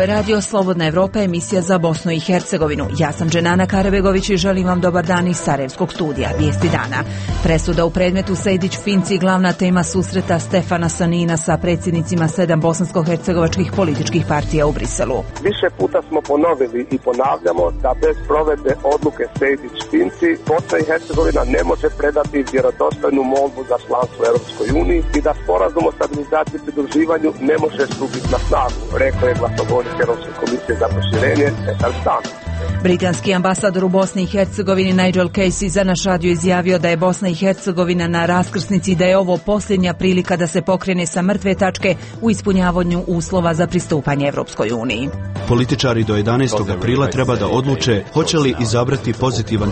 je Radio Slobodna Evropa, emisija za Bosnu i Hercegovinu. Ja sam Dženana Karabegović i želim vam dobar dan iz Sarajevskog studija. Vijesti dana. Presuda u predmetu Sejdić-Finci, glavna tema susreta Stefana Sanina sa predsjednicima 7 bosansko-hercegovačkih političkih partija u Briselu. Više puta smo ponovili i ponavljamo da bez provedbe odluke Sejdić-Finci Bosna i Hercegovina ne može predati vjerodostojnu molbu za članstvo u Europskoj uniji i da sporazum o stabilizaciji i pridruživanju ne može stupiti na snagu, rekao je glasnogovornik Europske komisije za proširenje Petar Stan. Britanski ambasador u Bosni i Hercegovini Nigel Casey za naš radio izjavio da je Bosna i Hercegovina na raskrsnici i da je ovo posljednja prilika da se pokrene sa mrtve tačke u ispunjavanju uslova za pristupanje Europskoj uniji. Političari do 11. aprila treba da odluče hoće li izabrati pozitivan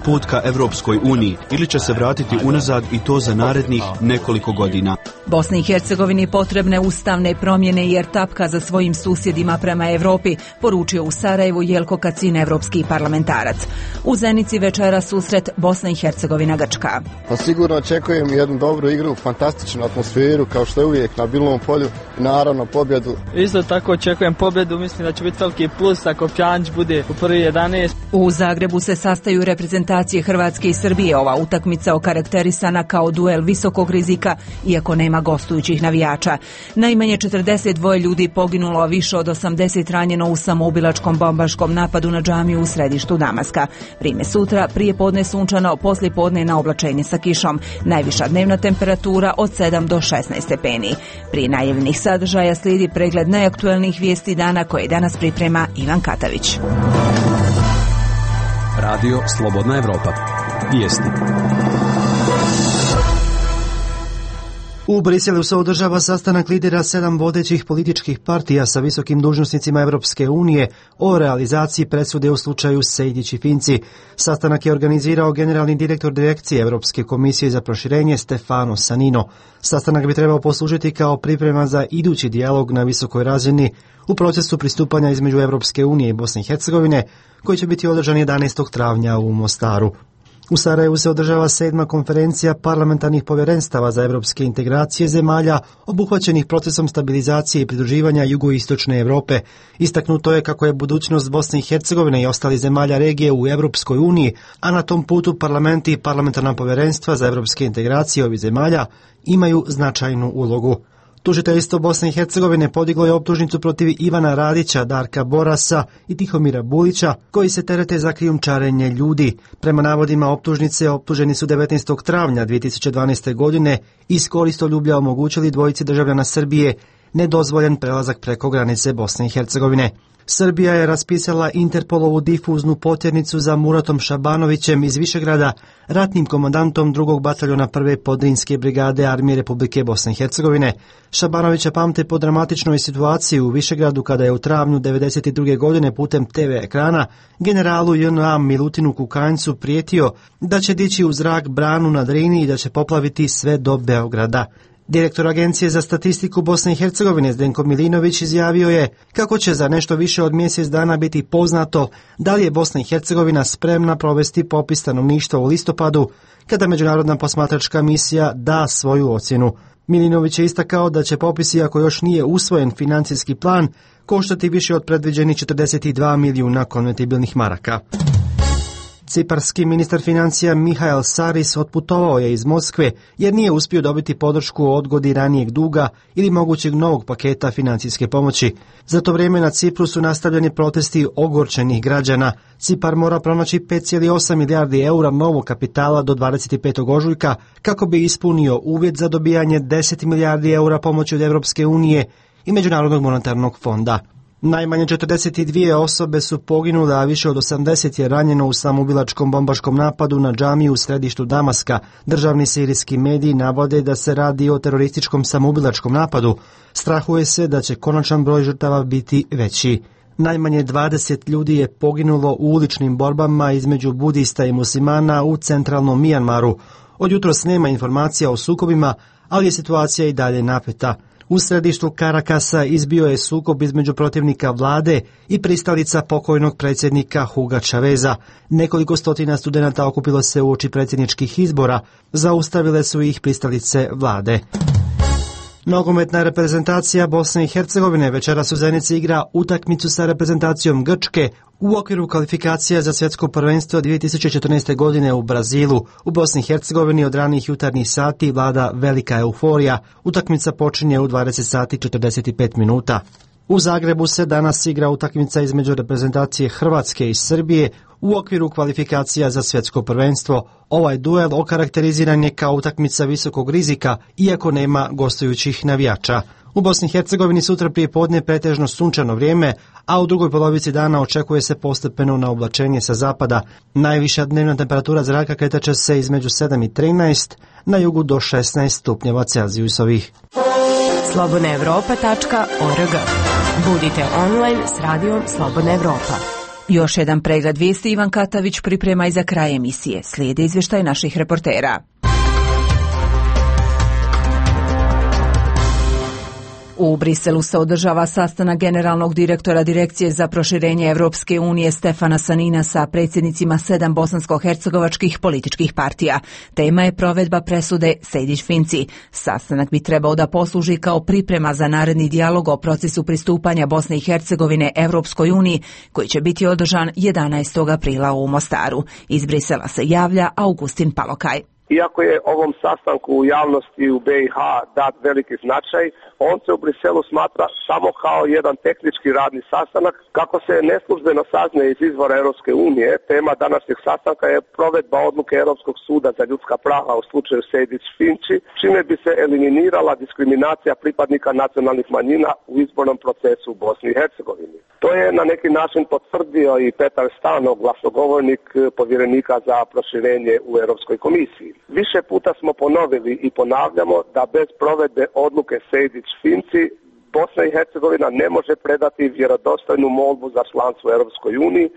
put ka Europskoj uniji ili će se vratiti unazad i to za narednih nekoliko godina. Bosni i Hercegovini potrebne ustavne promjene jer tapka za svojim susjedima prema Europi, poručio u Sarajevu Jelko Kacin, evropski parlamentarac. U Zenici večera susret Bosna i Hercegovina Grčka. Pa sigurno očekujem jednu dobru igru, fantastičnu atmosferu kao što je uvijek na Bilom polju i naravno pobjedu. Isto tako očekujem pobjedu, mislim da će biti veliki plus ako Pjanić bude u prvi 11. U Zagrebu se sastaju reprezentacije Hrvatske i Srbije. Ova utakmica okarakterisana kao duel visokog rizika, iako nema gostujućih navijača. Najmanje 42 ljudi poginulo, a više od 80 ranjeno u samoubilačkom bombaškom napadu na džamiju u središtu Damaska. Vrime sutra, prije podne sunčano, poslije podne na oblačenje sa kišom. Najviša dnevna temperatura od 7 do 16 stepeni. Prije najavljenih sadržaja slijedi pregled najaktuelnijih vijesti dana koje danas priprema Ivan Katavić. Radio Slobodna Evropa. Vijesti. U Briselu se održava sastanak lidera 7 vodećih političkih partija sa visokim dužnosnicima Europske unije o realizaciji presude u slučaju Sejdić i Finci. Sastanak je organizirao generalni direktor direkcije Europske komisije za proširenje Stefano Sanino. Sastanak bi trebao poslužiti kao priprema za idući dijalog na visokoj razini u procesu pristupanja između Europske unije i Bosne i Hercegovine, koji će biti održan 11. travnja u Mostaru. U Sarajevu se održava 7. konferencija parlamentarnih povjerenstava za europske integracije zemalja obuhvaćenih procesom stabilizacije i pridruživanja jugoistočne Europe. Istaknuto je kako je budućnost Bosne i Hercegovine i ostalih zemalja regije u Europskoj uniji, a na tom putu parlamenti i parlamentarna povjerenstva za europske integracije ovih zemalja imaju značajnu ulogu. Tužiteljstvo Bosne i Hercegovine podiglo je optužnicu protiv Ivana Radića, Darka Borasa i Tihomira Bulića, koji se terete za krijumčarenje ljudi. Prema navodima optužnice, optuženi su 19. travnja 2012. godine iz koristoljublja omogućili dvojici državljana Srbije nedozvoljen prelazak preko granice Bosne i Hercegovine. Srbija je raspisala Interpolovu difuznu potjernicu za Muratom Šabanovićem iz Višegrada, ratnim komandantom 2. bataljona 1. podrinske brigade Armije Republike Bosne i Hercegovine. Šabanovića pamte po dramatičnoj situaciji u Višegradu kada je u travnju 1992. godine putem TV ekrana generalu JNA Milutinu Kukanjcu prijetio da će dići u zrak branu na Drini i da će poplaviti sve do Beograda. Direktor Agencije za statistiku Bosne i Hercegovine Zdenko Milinović izjavio je kako će za nešto više od mjesec dana biti poznato da li je Bosna i Hercegovina spremna provesti popis stanovništva u listopadu kada međunarodna posmatračka misija da svoju ocjenu. Milinović je istakao da će popis, iako još nije usvojen financijski plan, koštati više od predviđenih 42 milijuna konvertibilnih maraka. Ciparski ministar financija Mihael Saris otputovao je iz Moskve jer nije uspio dobiti podršku o odgodi ranijeg duga ili mogućeg novog paketa financijske pomoći. Za to vrijeme na Cipru su nastavljeni protesti ogorčenih građana. Cipar mora pronaći 5,8 milijardi eura novog kapitala do 25. ožujka kako bi ispunio uvjet za dobijanje 10 milijardi eura pomoći od Europske unije i Međunarodnog monetarnog fonda. Najmanje 42 osobe su poginule, a više od 80 je ranjeno u samoubilačkom bombaškom napadu na džamiju u središtu Damaska. Državni sirijski mediji navode da se radi o terorističkom samoubilačkom napadu. Strahuje se da će konačan broj žrtava biti veći. Najmanje 20 ljudi je poginulo u uličnim borbama između budista i muslimana u centralnom Mijanmaru. Od jutros nema informacija o sukobima, ali je situacija i dalje napeta. U središtu Karakasa izbio je sukob između protivnika vlade i pristalica pokojnog predsjednika Huga Chaveza. Nekoliko stotina studenata okupilo se uoči predsjedničkih izbora, zaustavile su ih pristalice vlade. Nogometna reprezentacija Bosne i Hercegovine večeras u Zenici igra utakmicu sa reprezentacijom Grčke u okviru kvalifikacija za svjetsko prvenstvo 2014. godine u Brazilu. U Bosni i Hercegovini od ranih jutarnjih sati vlada velika euforija. Utakmica počinje u 20 sati 45 minuta. U Zagrebu se danas igra utakmica između reprezentacije Hrvatske i Srbije u okviru kvalifikacija za svjetsko prvenstvo. Ovaj duel okarakteriziran je kao utakmica visokog rizika, iako nema gostujućih navijača. U Bosni i Hercegovini sutra prije podne pretežno sunčano vrijeme, a u drugoj polovici dana očekuje se postepeno naoblačenje sa zapada. Najviša dnevna temperatura zraka kretaće se između 7 i 13, na jugu do 16 stupnjeva Celzijusovih. slobodnaevropa.org. Budite online s radijom Slobodna Evropa. Još jedan pregled vijesti Ivan Katavić priprema i za kraj emisije. Slijede izvještaj naših reportera. U Briselu se održava sastanak generalnog direktora Direkcije za proširenje Evropske unije Stefana Sanina sa predsjednicima 7 bosansko-hercegovačkih političkih partija. Tema je provedba presude Sejdić-Finci. Sastanak bi trebao da posluži kao priprema za naredni dijalog o procesu pristupanja Bosne i Hercegovine Evropskoj uniji, koji će biti održan 11. aprila u Mostaru. Iz Brisela se javlja Augustin Palokaj. Iako je ovom sastanku u javnosti u BiH dat veliki značaj, on se u Briselu smatra samo kao jedan tehnički radni sastanak. Kako se neslužbeno saznaje iz izvora Europske unije, tema današnjeg sastanka je provedba odluke Europskog suda za ljudska prava u slučaju Sejdić-Finci, čime bi se eliminirala diskriminacija pripadnika nacionalnih manjina u izbornom procesu u Bosni i Hercegovini. To je na neki način potvrdio i Petar Stano, glasnogovornik povjerenika za proširenje u Europskoj komisiji. Više puta smo ponovili i ponavljamo da bez provedbe odluke Sejdić-Finci Bosna i Hercegovina ne može predati vjerodostojnu molbu za članstvo u Europskoj uniji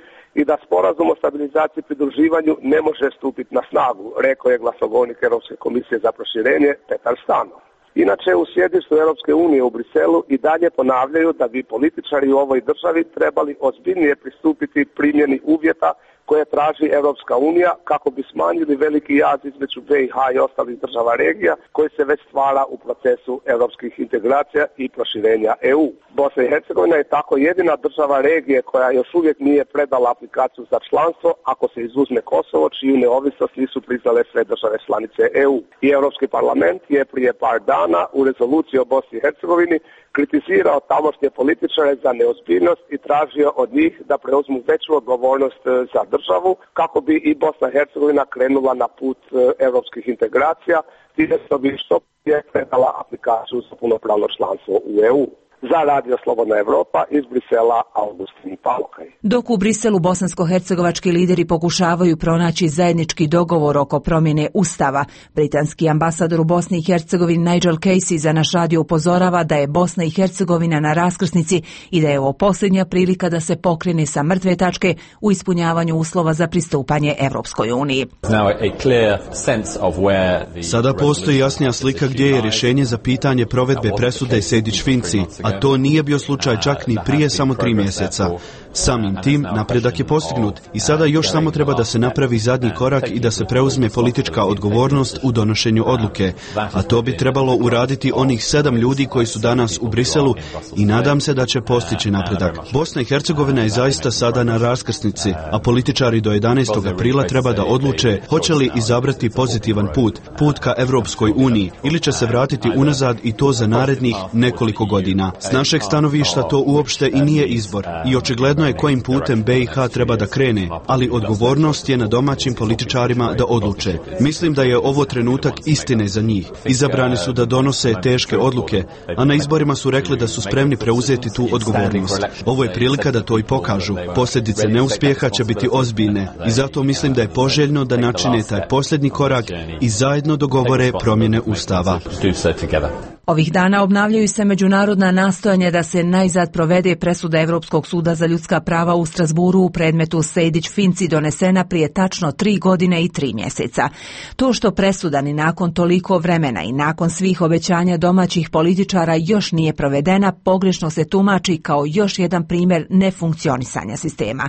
i da sporazum o stabilizaciji i pridruživanju ne može stupiti na snagu, rekao je glasnogovornik Europske komisije za proširenje Petar Stano. Inače, u sjedištu Europske unije u Briselu i dalje ponavljaju da bi političari u ovoj državi trebali ozbiljnije pristupiti primjeni uvjeta koje traži Europska unija kako bi smanjili veliki jaz između BiH i ostalih država regija koji se već stvara u procesu europskih integracija i proširenja EU. Bosna i Hercegovina je tako jedina država regije koja još uvijek nije predala aplikaciju za članstvo ako se izuzme Kosovo, čiju neovisnost nisu priznale sve države članice EU. I Europski parlament je prije par dana u rezoluciji o Bosni i Hercegovini kritizirao tamošnje političare za neozbiljnost i tražio od njih da preuzmu veću odgovornost za državu kako bi i Bosna i Hercegovina krenula na put europskih integracija, time što bi što prije predala aplikaciju za punopravno članstvo u EU. Za Radio Slobodna Evropa iz Brisela, Augustin Palokaj. Dok u Briselu bosansko-hercegovački lideri pokušavaju pronaći zajednički dogovor oko promjene Ustava, britanski ambasador u Bosni i Hercegovini Nigel Casey za naš radio upozorava da je Bosna i Hercegovina na raskrsnici i da je ovo posljednja prilika da se pokrene sa mrtve tačke u ispunjavanju uslova za pristupanje Evropskoj uniji. Sada postoji jasnija slika gdje je rješenje za pitanje provedbe presude Sejdić-Finci, a to nije bio slučaj čak ni prije samo 3 mjeseca. Samim tim napredak je postignut i sada još samo treba da se napravi zadnji korak i da se preuzme politička odgovornost u donošenju odluke, a to bi trebalo uraditi onih 7 ljudi koji su danas u Briselu i nadam se da će postići napredak. Bosna i Hercegovina je zaista sada na raskrsnici, a političari do 11. aprila treba da odluče hoće li izabrati pozitivan put ka Evropskoj uniji ili će se vratiti unazad i to za narednih nekoliko godina. S našeg stanovišta to uopšte i nije izbor i očigledno je kojim putem BiH treba da krene, ali odgovornost je na domaćim političarima da odluče. Mislim da je ovo trenutak istine za njih. Izabrani su da donose teške odluke, a na izborima su rekli da su spremni preuzeti tu odgovornost. Ovo je prilika da to i pokažu. Posljedice neuspjeha će biti ozbiljne i zato mislim da je poželjno da načine taj posljednji korak i zajedno dogovore promjene Ustava. Ovih dana obnavljaju se međunarodna nastojanja da se najzad provede presuda Europskog suda za ljudska prava u Strasburu u predmetu Sejdić-Finci donesena prije tačno 3 godine i 3 mjeseca. To što presuda ni nakon toliko vremena i nakon svih obećanja domaćih političara još nije provedena, pogrešno se tumači kao još jedan primjer nefunkcionisanja sistema.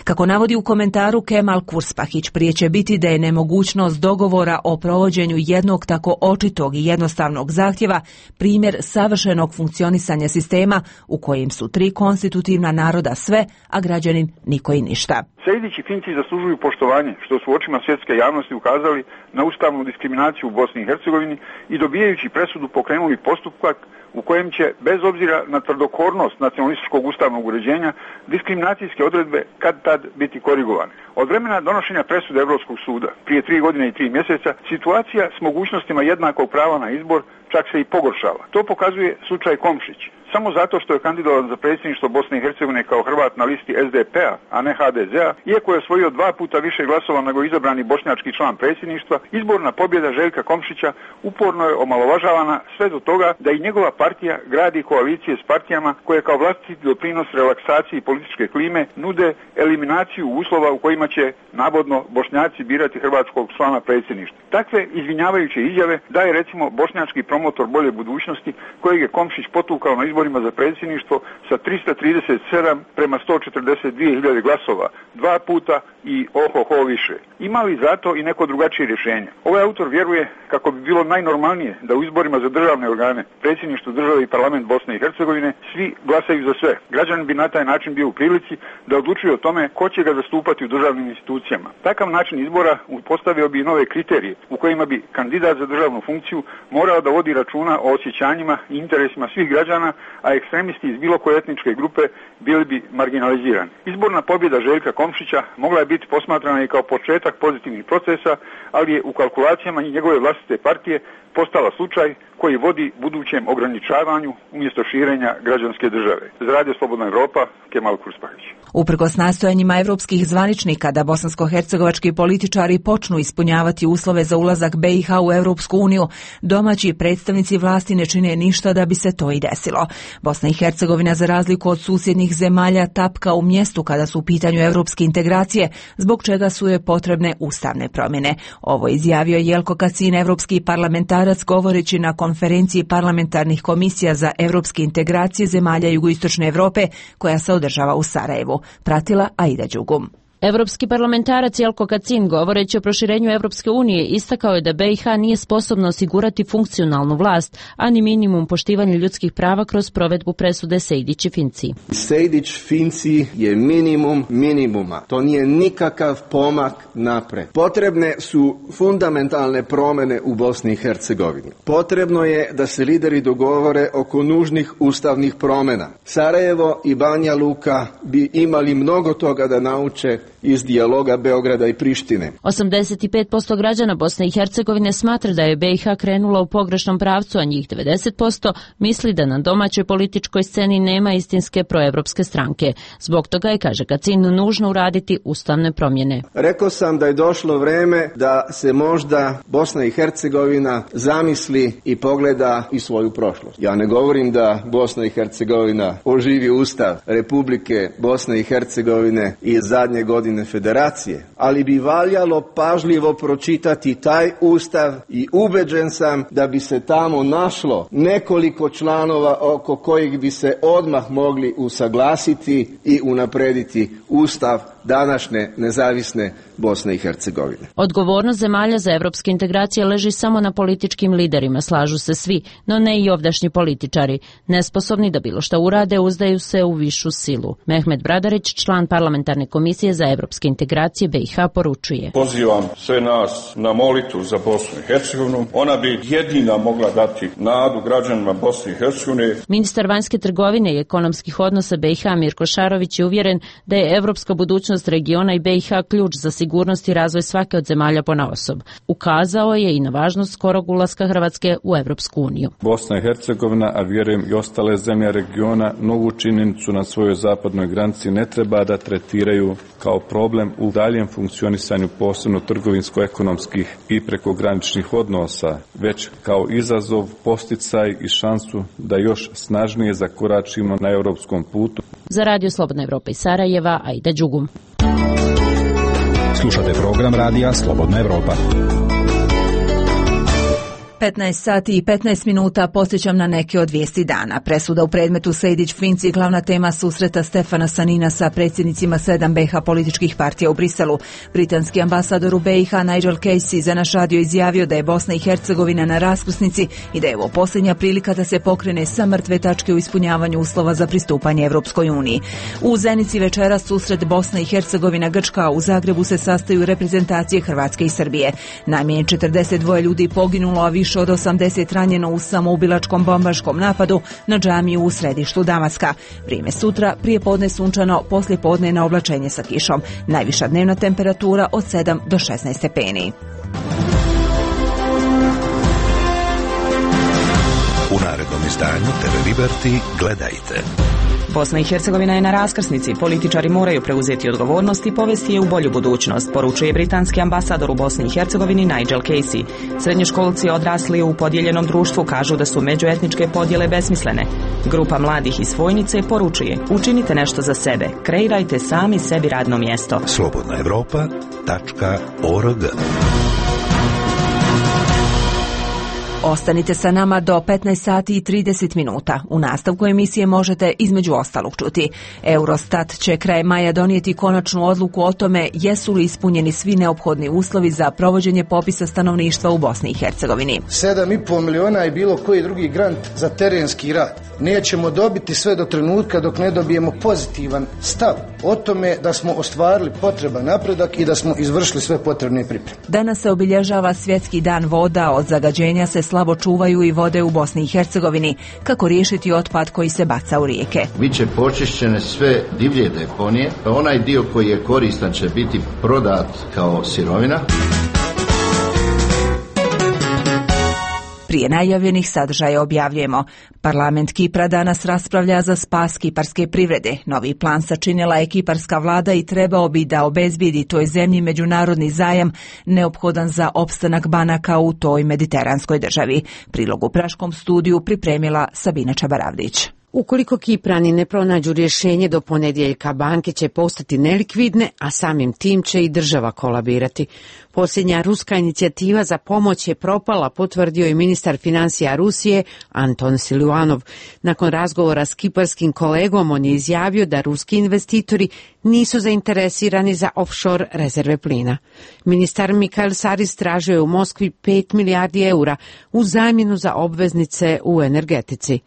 Kako navodi u komentaru Kemal Kurspahić, prije će biti da je nemogućnost dogovora o provođenju jednog tako očitog i jednostavnog zahtjeva primjer savršenog funkcionisanja sistema u kojem su 3 konstitutivna naroda sve, a građanin niko i ništa. Sejdić i Finci zaslužuju poštovanje, što su u očima svjetske javnosti ukazali na ustavnu diskriminaciju u Bosni i Hercegovini i dobijajući presudu pokrenuli postupak u kojem će, bez obzira na tvrdokornost nacionalističkog ustavnog uređenja, diskriminacijske odredbe kad tad biti korigovane. Od vremena donošenja presude Europskog suda, prije 3 godine i 3 mjeseca, situacija s mogućnostima jednakog prava na izbor čak se i pogoršava. To pokazuje slučaj Komšić. Samo zato što je kandidovan za predsjedništvo Bosne i Hercegovine kao Hrvat na listi SDP-a, a ne HDZ-a, iako je osvojio 2 puta više glasova nego izabrani bošnjački član predsjedništva, izborna pobjeda Željka Komšića uporno je omalovažavana sve do toga da i njegova partija gradi koalicije s partijama koje kao vlastiti doprinos relaksaciji političke klime nude eliminaciju uslova u kojima će navodno Bošnjaci birati hrvatskog člana predsjedništva. Takve izvinjavajuće izjave daje recimo bošnjački promotor bolje budućnosti kojeg je Komšić potukao na izborima za predsjedništvo sa 337 prema 142.000 glasova, 2 puta i ohoho više. Ima li zato i neko drugačije rješenje? Ovaj autor vjeruje kako bi bilo najnormalnije da u izborima za državne organe, predsjedništvo države i parlament Bosne i Hercegovine svi glasaju za sve. Građanin bi na taj način bio u prilici da odlučuje o tome ko će ga zastupati u državnim institucijama. Takav način izbora postavio bi nove kriterije u kojima bi kandidat za državnu funkciju morao da vodi računa o osjećanjima i interesima svih građana, a ekstremisti iz bilo koje etničke grupe bili bi marginalizirani. Izborna pobjeda Željka Komšića mogla je biti posmatrana i kao početak pozitivnih procesa, ali je u kalkulacijama i njegove vlastite partije postala slučaj koji vodi budućem ograničavanju umjesto širenja građanske države. Za Radio Slobodna Evropa, Kemal Kurspahić. Uprkos nastojanjima evropskih zvaničnika da bosansko-hercegovački političari počnu ispunjavati uslove za ulazak BiH u Europsku uniju, domaći predstavnici vlasti ne čine ništa da bi se to i desilo. Bosna i Hercegovina, za razliku od susjednih zemalja, tapka u mjestu kada su u pitanju europske integracije, zbog čega su joj potrebne ustavne promjene. Ovo izjavio Jelko Kacin, evropski parlamentarac, govoreći na konferenciji parlamentarnih komisija za europske integracije zemalja jugoistočne Europe koja se održava u Sarajevu. Pratila Aida Đugum. Evropski parlamentarac Jelko Kacin, govoreći o proširenju Evropske unije, istakao je da BiH nije sposobno osigurati funkcionalnu vlast, a ni minimum poštivanja ljudskih prava kroz provedbu presude Sejdić i Finci. Sejdić-Finci je minimum minimuma. To nije nikakav pomak napred. Potrebne su fundamentalne promjene u Bosni i Hercegovini. Potrebno je da se lideri dogovore oko nužnih ustavnih promjena. Sarajevo i Banja Luka bi imali mnogo toga da nauče iz dijaloga Beograda i Prištine. 85% građana Bosne i Hercegovine smatra da je BiH krenula u pogrešnom pravcu, a njih 90% misli da na domaćoj političkoj sceni nema istinske proevropske stranke. Zbog toga je, kaže Kacin, nužno uraditi ustavne promjene. Rekao sam da je došlo vreme da se možda Bosna i Hercegovina zamisli i pogleda i svoju prošlost. Ja ne govorim da Bosna i Hercegovina oživi Ustav Republike Bosne i Hercegovine iz zadnje godine federacije, ali bi valjalo pažljivo pročitati taj ustav i ubeđen sam da bi se tamo našlo nekoliko članova oko kojih bi se odmah mogli usaglasiti i unaprediti ustav današnje nezavisne Bosne i Hercegovine. Odgovornost zemalja za evropske integracije leži samo na političkim liderima, slažu se svi, no ne i ovdašnji političari. Nesposobni da bilo šta urade, uzdaju se u višu silu. Mehmet Bradarić, član parlamentarne komisije za evropske integracije BiH, poručuje: Pozivam sve nas na molitvu za Bosnu i Hercegovinu. Ona bi jedina mogla dati nadu građanima Bosne i Hercegovine. Ministar vanjske trgovine i ekonomskih odnosa BiH Mirko Šarović je uvjeren da je evropska budućnost regiona i BiH ključ za sigurnost i razvoj svake od zemalja ponaosob. Ukazao je i na važnost skorog ulaska Hrvatske u Evropsku uniju. Bosna i Hercegovina, a vjerujem i ostale zemlje regiona, novu činjenicu na svojoj zapadnoj granici ne treba da tretiraju kao problem u daljem funkcionisanju posebno trgovinsko-ekonomskih i prekograničnih odnosa, već kao izazov, posticaj i šansu da još snažnije zakoračimo na europskom putu. Za Radio Slobodna Evropa iz Sarajeva, Aida Đugum. Slušate program radija Slobodna Evropa. 15 sati i 15 minuta podsjećam na neke od vijesti dana. Presuda u predmetu Sejdić-Finci, glavna tema susreta Stefana Sanina sa predsjednicima 7 BiH političkih partija u Briselu. Britanski ambasador u BiH Nigel Casey za naš radio izjavio da je Bosna i Hercegovina na raskrsnici i da je ovo posljednja prilika da se pokrene sa mrtve tačke u ispunjavanju uslova za pristupanje Evropskoj uniji. U Zenici večeras susret Bosna i Hercegovina Grčka, u Zagrebu se sastaju reprezentacije Hrvatske i Srbije. Najmanje 42 ljudi poginulo, a više od 80 ranjeno u samoubilačkom bombaškom napadu na džamiju u središtu Damaska. Vrijeme sutra, prije podne sunčano, poslije podne na oblačenje sa kišom. Najviša dnevna temperatura od 7 do 16 stepeni. U narednom izdanju TV Liberty gledajte. Bosna i Hercegovina je na raskrsnici. Političari moraju preuzeti odgovornost i povesti je u bolju budućnost, poručuje britanski ambasador u Bosni i Hercegovini Nigel Casey. Srednjoškolci odrasli u podijeljenom društvu kažu da su međuetničke podjele besmislene. Grupa mladih iz Vojnice poručuje: učinite nešto za sebe, kreirajte sami sebi radno mjesto. slobodnaevropa.org. Ostanite sa nama do 15 sati i 30 minuta. U nastavku emisije možete između ostalog čuti: Eurostat će krajem maja donijeti konačnu odluku o tome jesu li ispunjeni svi neophodni uslovi za provođenje popisa stanovništva u Bosni i Hercegovini. 7,5 miliona je bilo koji drugi grant za terenski rad. Nećemo dobiti sve do trenutka dok ne dobijemo pozitivan stav o tome da smo ostvarili potreban napredak i da smo izvršili sve potrebne pripreme. Danas se obilježava Svjetski dan voda. Od zagađenja se slabo čuvaju i vode u Bosni i Hercegovini. Kako riješiti otpad koji se baca u rijeke? Biće počišćene sve divlje deponije. Onaj dio koji je koristan će biti prodat kao sirovina. Prije najavljenih sadržaja objavljujemo: Parlament Kipra danas raspravlja za spas kiparske privrede. Novi plan sačinila je kiparska vlada i trebao bi da obezbijedi toj zemlji međunarodni zajam neophodan za opstanak banaka u toj mediteranskoj državi. Prilog u Praškom studiju pripremila Sabina Čabaravdić. Ukoliko Kiprani ne pronađu rješenje do ponedjeljka, banke će postati nelikvidne, a samim tim će i država kolabirati. Posljednja ruska inicijativa za pomoć je propala, potvrdio je ministar financija Rusije Anton Siluanov. Nakon razgovora s kiparskim kolegom, on je izjavio da ruski investitori nisu zainteresirani za offshore rezerve plina. Ministar Mikael Saris tražio je u Moskvi 5 milijardi eura u zamjenu za obveznice u energetici.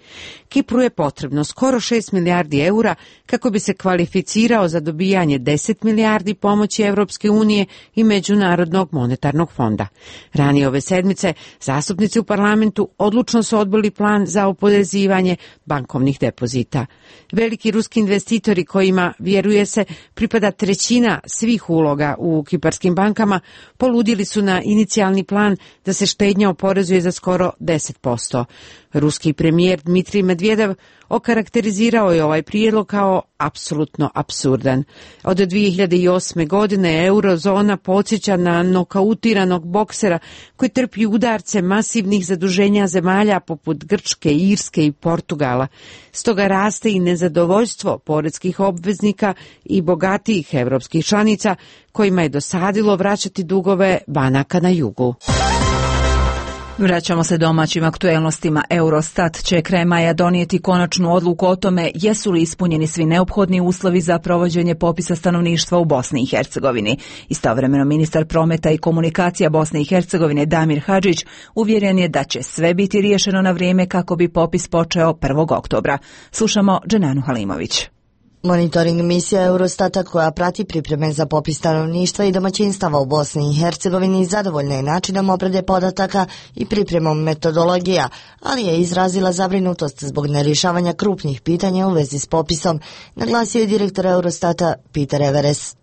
Kipru je potrebno skoro 6 milijardi eura kako bi se kvalificirao za dobijanje 10 milijardi pomoći Evropske unije i Međunarodnog monetarnog fonda. Ranije ove sedmice zastupnici u parlamentu odlučno su odbili plan za oporezivanje bankovnih depozita. Veliki ruski investitori kojima, vjeruje se, pripada trećina svih uloga u kiparskim bankama, poludili su na inicijalni plan da se štednja oporezuje za skoro 10%. Ruski premijer Dmitrij Medvedev okarakterizirao je ovaj prijedlog kao apsolutno apsurdan. Od 2008. godine eurozona podsjeća na nokautiranog boksera koji trpi udarce masivnih zaduženja zemalja poput Grčke, Irske i Portugala. Stoga raste i nezadovoljstvo poreskih obveznika i bogatijih europskih članica kojima je dosadilo vraćati dugove banaka na jugu. Vraćamo se domaćim aktuelnostima. Eurostat će krajem maja donijeti konačnu odluku o tome jesu li ispunjeni svi neophodni uslovi za provođenje popisa stanovništva u Bosni i Hercegovini. Istovremeno ministar prometa i komunikacija Bosne i Hercegovine Damir Hadžić uvjeren je da će sve biti riješeno na vrijeme kako bi popis počeo 1. oktobra. Slušamo Dženanu Halimović. Monitoring misija Eurostata koja prati pripreme za popis stanovništva i domaćinstava u Bosni i Hercegovini zadovoljna je načinom obrade podataka i pripremom metodologija, ali je izrazila zabrinutost zbog nerješavanja krupnih pitanja u vezi s popisom, naglasio je direktor Eurostata Peter Everes.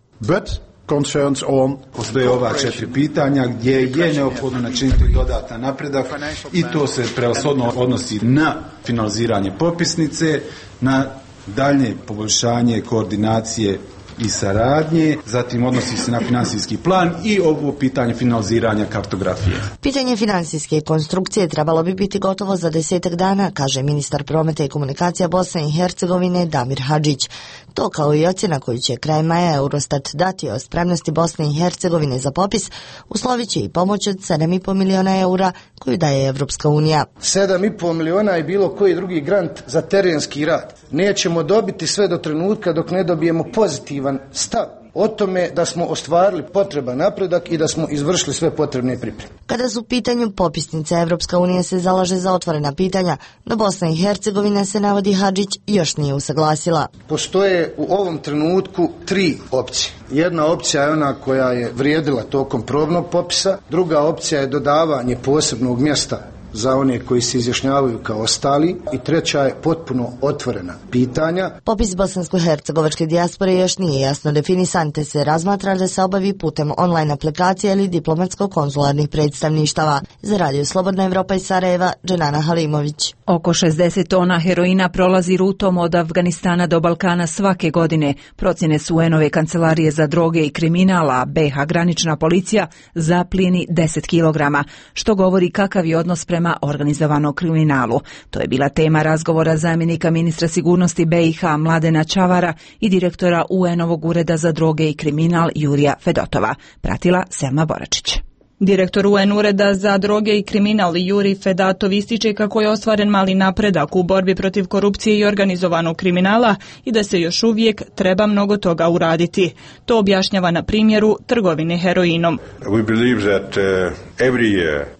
Postoje ova 4 pitanja gdje je neophodno načiniti dodatan napredak i to se prevashodno odnosi na finaliziranje popisnice, na daljnje poboljšanje koordinacije i saradnje, zatim odnosi se na finansijski plan i ovo pitanje finaliziranja kartografije. Pitanje finansijske konstrukcije trebalo bi biti gotovo za 10 dana, kaže ministar prometa i komunikacija Bosne i Hercegovine Damir Hadžić. To kao i ocjena koju će kraj maja Eurostat dati o spremnosti Bosne i Hercegovine za popis, uslovit će i pomoć od 7,5 miliona eura koju daje Evropska unija. 7,5 miliona je bilo koji drugi grant za terenski rad. Nećemo dobiti sve do trenutka dok ne dobijemo pozitivan stav o tome da smo ostvarili potreban napredak i da smo izvršili sve potrebne pripreme. Kada su u pitanju popisnice, Evropska unija se zalaže za otvorena pitanja, no Bosna i Hercegovina, se navodi Hadžić, još nije usaglasila. Postoje u ovom trenutku 3 opcije. Jedna opcija je ona koja je vrijedila tokom probnog popisa, druga opcija je dodavanje posebnog mjesta za one koji se izjašnjavaju kao ostali i treća je potpuno otvorena pitanja. Popis bosansko-hercegovačke dijaspore još nije jasno definisan, te se razmatra da se obavi putem online aplikacije ili diplomatsko-konzularnih predstavništava. Za Radio Slobodna Evropa iz Sarajeva, Dženana Halimović. Oko 60 tona heroina prolazi rutom od Afganistana do Balkana svake godine. Procjene su UN-ove kancelarije za droge i kriminala, BiH granična policija zaplijeni 10 kilograma, što govori kakav je odnos prema organizovanom kriminalu. To je bila tema razgovora zamjenika ministra sigurnosti BiH Mladena Čavara i direktora UN-ovog ureda za droge i kriminal Jurija Fedotova. Pratila Selma Boračić. Direktor UN ureda za droge i kriminal Juri Fedatov ističe kako je ostvaren mali napredak u borbi protiv korupcije i organizovanog kriminala i da se još uvijek treba mnogo toga uraditi. To objašnjava na primjeru trgovine heroinom.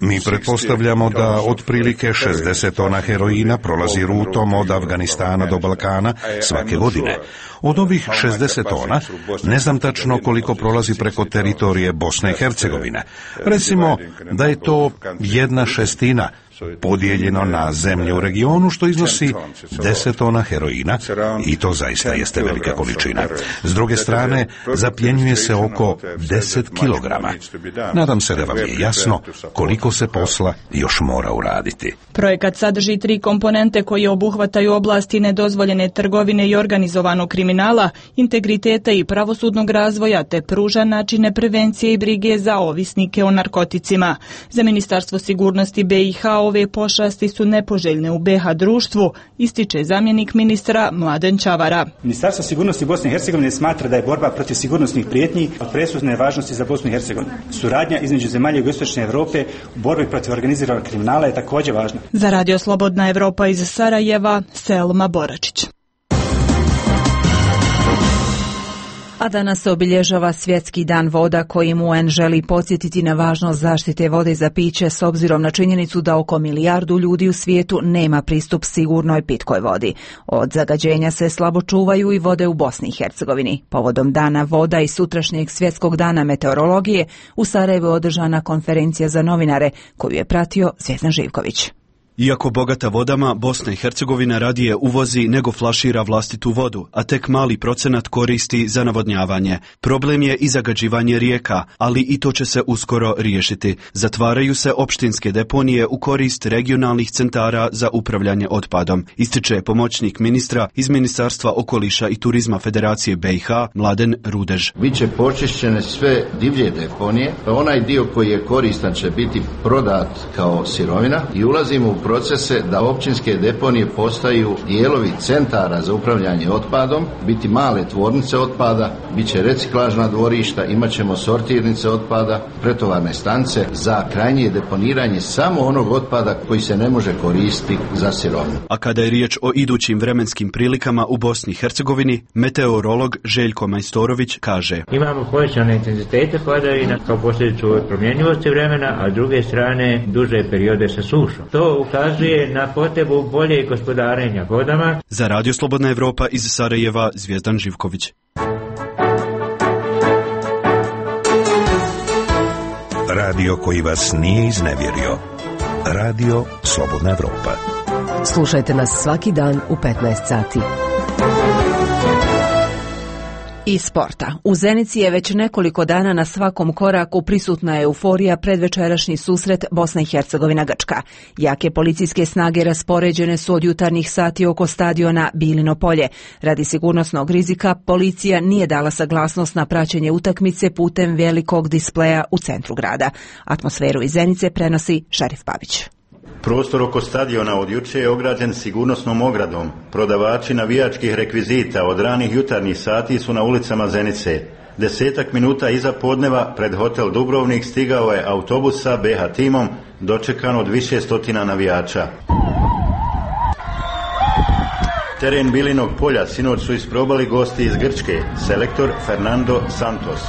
Mi pretpostavljamo da otprilike 60 tona heroina prolazi rutom od Afganistana do Balkana svake godine. Od ovih 60 tona ne znam tačno koliko prolazi preko teritorije Bosne i Hercegovine. Recimo da je to 1/6 podijeljeno na zemlje u regionu, što iznosi 10 tona heroina i to zaista jeste velika količina. S druge strane, zapljenjuje se oko 10 kilograma. Nadam se da vam je jasno koliko se posla još mora uraditi. Projekat sadrži 3 komponente koje obuhvataju oblasti nedozvoljene trgovine i organizovanog kriminala, integriteta i pravosudnog razvoja, te pruža načine prevencije i brige za ovisnike o narkoticima. Za Ministarstvo sigurnosti BiH ove pošasti su nepoželjne u BiH društvu, ističe zamjenik ministra Mladen Čavara. Ministarstvo sigurnosti Bosne i Hercegovine smatra da je borba protiv sigurnosnih prijetnji od presudne važnosti za Bosnu i Hercegovinu. Suradnja između zemalja jugoistočne Europe u borbi protiv organiziranog kriminala je također važna. Za Radio Slobodna Evropa iz Sarajeva, Selma Boračić. A danas se obilježava Svjetski dan voda kojim UN želi podsjetiti na važnost zaštite vode za piće s obzirom na činjenicu da oko 1 milijardu ljudi u svijetu nema pristup sigurnoj pitkoj vodi. Od zagađenja se slabo čuvaju i vode u Bosni i Hercegovini. Povodom Dana voda i sutrašnjeg Svjetskog dana meteorologije u Sarajevu je održana konferencija za novinare koju je pratio Zvjezdan Živković. Iako bogata vodama, Bosna i Hercegovina radije uvozi nego flašira vlastitu vodu, a tek mali procenat koristi za navodnjavanje. Problem je i zagađivanje rijeka, ali i to će se uskoro riješiti. Zatvaraju se opštinske deponije u korist regionalnih centara za upravljanje otpadom, ističe pomoćnik ministra iz Ministarstva okoliša i turizma Federacije BiH Mladen Rudež. Biće počišćene sve divlje deponije, onaj dio koji je koristan će biti prodat kao sirovina i ulazimo u procese da općinske deponije postaju dijelovi centara za upravljanje otpadom, biti male tvornice otpada, bit će reciklažna dvorišta, imat ćemo sortirnice otpada, pretovarne stanice za krajnje deponiranje samo onog otpada koji se ne može koristiti za sirovinu. A kada je riječ o idućim vremenskim prilikama u Bosni i Hercegovini, meteorolog Željko Majstorović kaže: Imamo povećane intenzitete padavina kao posljedicu promjenjivosti vremena, a s druge strane duže periode sa sušom. To ukazuje na potrebu bolje gospodarenja vodama. Za Radio Slobodna Evropa iz Sarajeva, Zvjezdan Živković. Radio koji vas nije iznevjerio. Radio Slobodna Evropa. Slušajte nas svaki dan u 15 sati. I sporta. U Zenici je već nekoliko dana na svakom koraku prisutna euforija predvečerašnji susret Bosna i Hercegovina Grčka. Jake policijske snage raspoređene su od jutarnjih sati oko stadiona Bilino polje. Radi sigurnosnog rizika policija nije dala saglasnost na praćenje utakmice putem velikog displeja u centru grada. Atmosferu iz Zenice prenosi Šarif Pavić. Prostor oko stadiona od juče je ograđen sigurnosnom ogradom. Prodavači navijačkih rekvizita od ranih jutarnjih sati su na ulicama Zenice. 10 minuta iza podneva pred hotel Dubrovnik stigao je autobus sa BH timom, dočekan od više stotina navijača. Teren Bilinog polja sinoć su isprobali gosti iz Grčke, selektor Fernando Santos.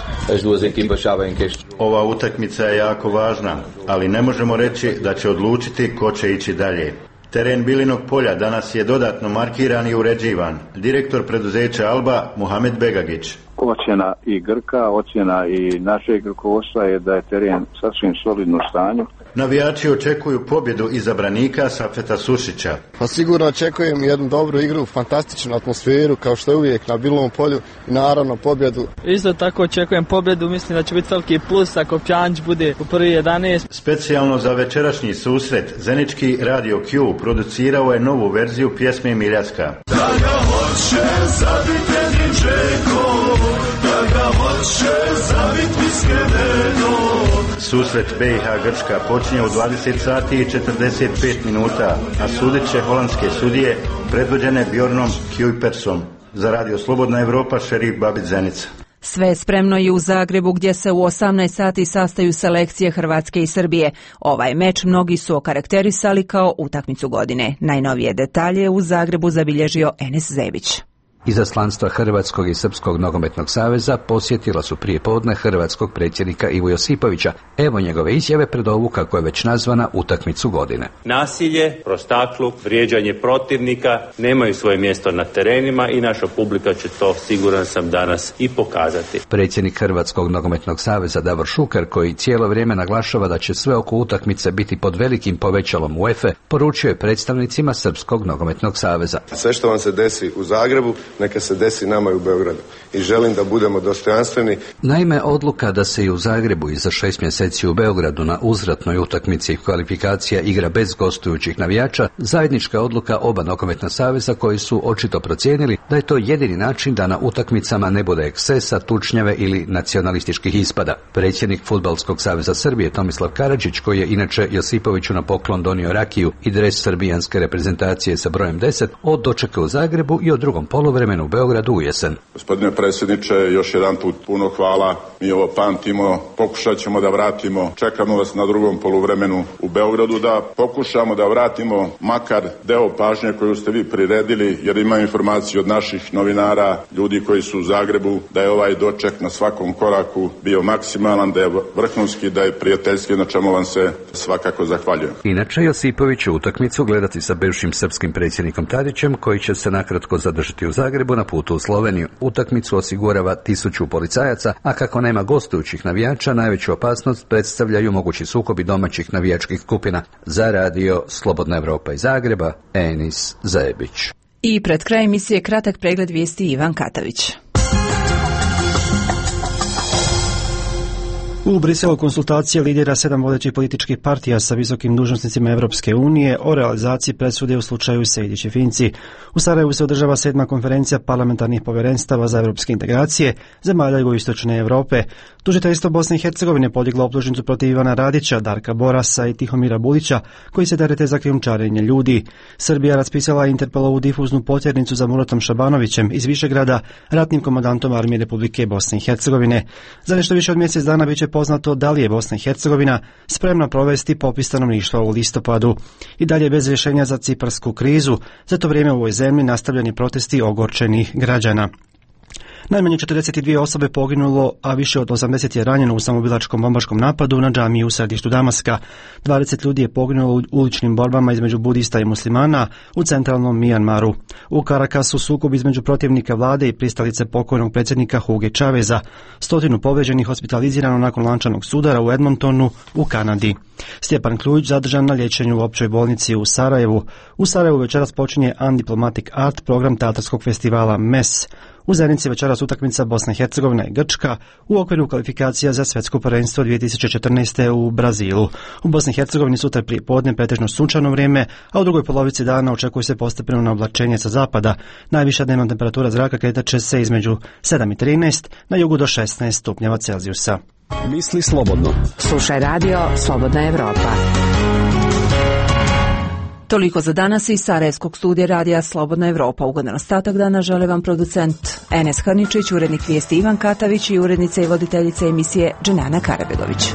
Ova utakmica je jako važna, ali ne možemo reći da će odlučiti ko će ići dalje. Teren Bilinog polja danas je dodatno markiran i uređivan. Direktor preduzeća Alba, Muhamed Begagić. Ocjena i Grka, ocjena i našeg rukovodstva je da je teren sasvim solidno stanju. Navijači očekuju pobjedu izabranika Safeta Sušića. Pa sigurno očekujem jednu dobru igru, fantastičnu atmosferu kao što je uvijek na Bilovom polju i naravno pobjedu. Isto tako očekujem pobjedu, mislim da će biti veliki plus ako Pjanić bude u prvi 11. Specijalno za večerašnji susret Zenički Radio Q producirao je novu verziju pjesme Miljaska. Da ga hoće zabiti jednim džekom, da ga hoće zabiti Miskevenom. Susret BiH Grčka počinje u 20 sati i 45 minuta, a sudit će holandske sudije predvođene Bjornom Kujpersom. Za Radio Slobodna Evropa, Šerif Babić, Zenica. Sve je spremno i u Zagrebu gdje se u 18 sati sastaju selekcije Hrvatske i Srbije. Ovaj meč mnogi su okarakterisali kao utakmicu godine. Najnovije detalje u Zagrebu zabilježio Enes Zebić. Izaslanstva Hrvatskog i Srpskog nogometnog saveza posjetila su prije podne hrvatskog predsjednika Ivu Josipovića. Evo njegove izjave pred ovu, kako je već nazvana, utakmicu godine. Nasilje, prostakluk, vrijeđanje protivnika nemaju svoje mjesto na terenima i naša publika će to, siguran sam, danas i pokazati. Predsjednik Hrvatskog nogometnog saveza Davor Šuker, koji cijelo vrijeme naglašava da će sve oko utakmice biti pod velikim povećalom UEFA, poručio je predstavnicima Srpskog nogometnog saveza. Sve što vam se desi u Zagrebu, neka se desi nama i u Beogradu. I želim da budemo dostojanstveni. Naime, odluka da se i u Zagrebu i za 6 mjeseci u Beogradu na uzvratnoj utakmici kvalifikacija igra bez gostujućih navijača, zajednička odluka oba nogometna saveza koji su očito procijenili da je to jedini način da na utakmicama ne bude ekscesa, tučnjave ili nacionalističkih ispada. Predsjednik Fudbalskog saveza Srbije Tomislav Karadžić, koji je inače Josipoviću na poklon donio rakiju i dres srbijanske reprezentacije sa brojem 10, od dočeka u Zagrebu i o drugom poluvremenu u Beogradu u jesen. Gospodine predsjedniče, još jedan put puno hvala. Mi ovo pamtimo, pokušat ćemo da vratimo. Čekamo vas na drugom poluvremenu u Beogradu da pokušamo da vratimo makar deo pažnje koju ste vi priredili, jer ima informaciju od naših novinara, ljudi koji su u Zagrebu, da je ovaj doček na svakom koraku bio maksimalan, da je vrhunski, da je prijateljski, na čemu vam se svakako zahvaljujem. Inače, Josipović će utakmicu gledati sa bivšim srpskim predsjednikom Tadićem, koji će se nakratko zadržati u Zagrebu na putu u Sloveniju. Utakmicu osigurava 1000 policajaca, a kako nema gostujućih navijača, najveću opasnost predstavljaju mogući sukobi domaćih navijačkih skupina. Za Radio Slobodna Evropa iz Zagreba, Enis Zebić. I pred kraj emisije kratak pregled vijesti Ivan Katavić. U Briselu konsultacije lidera 7 vodećih političkih partija sa visokim dužnosnicima Evropske unije o realizaciji presude u slučaju Sejdić i Finci. U Sarajevu se održava 7. konferencija parlamentarnih povjerenstava za evropske integracije zemalja jugoistočne Europe. Tužiteljstvo Bosne i Hercegovine podiglo optužnicu protiv Ivana Radića, Darka Borasa i Tihomira Bulića, koji se terete za krijumčarenje ljudi. Srbija raspisala Interpolovu difuznu potjernicu za Muratom Šabanovićem iz Višegrada, ratnim komandantom Armije Republike Bosne i Hercegovine. Za nešto više od mjesec dana biće poznato da li je Bosna i Hercegovina spremna provesti popis stanovništva u listopadu. I dalje bez rješenja za ciparsku krizu, za to vrijeme u ovoj zemlji nastavljeni protesti ogorčenih građana. Najmanje 42 osobe poginulo, a više od 80 je ranjeno u samoubilačkom bombaškom napadu na džamiju u središtu Damaska. 20 ljudi je poginulo u uličnim borbama između budista i muslimana u centralnom Mijanmaru. U Karakasu sukob između protivnika vlade i pristalice pokojnog predsjednika Huge Chaveza. 100 povrijeđenih hospitalizirano nakon lančanog sudara u Edmontonu u Kanadi. Stjepan Kljujić zadržan na liječenju u općoj bolnici u Sarajevu. U Sarajevu večeras počinje Undiplomatic Art, program teatarskog festivala MES. U Zenici večeras utakmica Bosna i Hercegovina i Grčka u okviru kvalifikacija za svjetsko prvenstvo 2014. u Brazilu. U Bosni i Hercegovini sutra prije podne pretežno sunčano vrijeme, a u drugoj polovici dana očekuje se postepeno na oblačenje sa zapada. Najviša dnevna temperatura zraka kretat će se između 7 i 13, na jugu do 16 stupnjeva Celzijusa. Misli slobodno. Slušaj radio Slobodna Evropa. Toliko za danas iz Sarajevskog studija radija Slobodna Evropa. Ugodan ostatak dana žele vam producent Enes Hrničić, urednik vijesti Ivan Katavić i urednica i voditeljica emisije Dženana Karabegović.